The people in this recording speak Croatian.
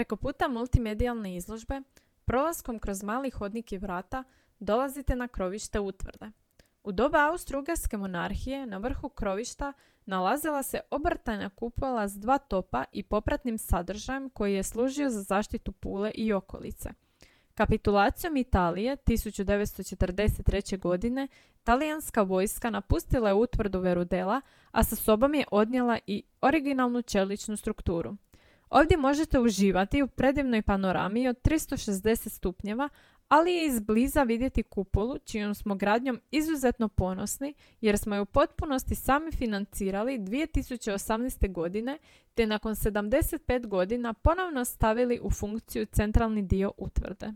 Preko puta multimedijalne izložbe, prolaskom kroz mali hodnik i vrata, dolazite na krovište utvrde. U doba Austro-Ugarske monarhije na vrhu krovišta nalazila se obrtana kupola s 2 topa i popratnim sadržajem koji je služio za zaštitu Pule i okolice. Kapitulacijom Italije 1943. godine talijanska vojska napustila je utvrdu Verudela, a sa sobom je odnijela i originalnu čeličnu strukturu. Ovdje možete uživati u predivnoj panorami od 360 stupnjeva, ali je izbliza vidjeti kupolu čijom smo gradnjom izuzetno ponosni jer smo je u potpunosti sami financirali 2018. godine te nakon 75 godina ponovno stavili u funkciju centralni dio utvrde.